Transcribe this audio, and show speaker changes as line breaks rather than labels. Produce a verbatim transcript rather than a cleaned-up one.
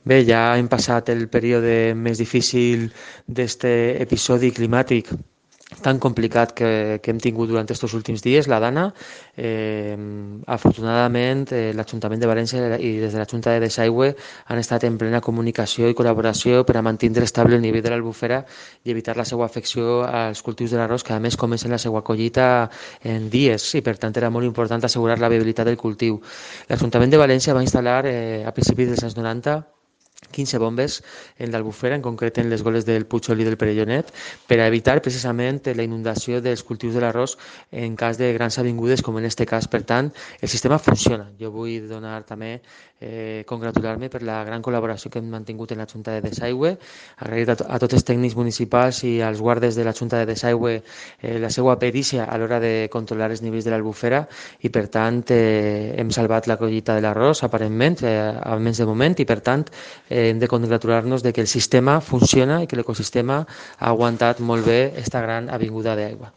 Bé, ja hem passat el període més difícil d'aquest episodi climàtic tan complicat que, que hem tingut durant aquests últims dies, la Dana. Eh, afortunadament, eh, l'Ajuntament de València i des de la Junta de Desaigüe han estat en plena comunicació i col·laboració per a mantenir estable el nivell de l'albufera i evitar la seva afecció als cultius de l'arròs, que a més comencen la seva collita en dies i per tant era molt important assegurar la viabilitat del cultiu. L'Ajuntament de València va instal·lar eh, a principis dels anys noranta quinze bombes en l'Albufera, en concret en les goles del Puigol i del Perellonet, per a evitar precisament la inundació dels cultius de l'arròs en cas de grans avingudes, com en aquest cas. Per tant, el sistema funciona. Jo vull donar també, eh, congratular-me per la gran col·laboració que hem mantingut en la Junta de Desaigüe, agrair a, a tots els tècnics municipals i als guardes de la Junta de Desaigüe eh, la seva perícia a l'hora de controlar els nivells de l'Albufera i, per tant, eh, hem salvat la collita de l'arròs, aparentment, eh, almenys de moment, i, per tant, eh, hem de congratular-nos de que el sistema funciona i que l'ecosistema ha aguantat molt bé aquesta gran avinguda d'aigua.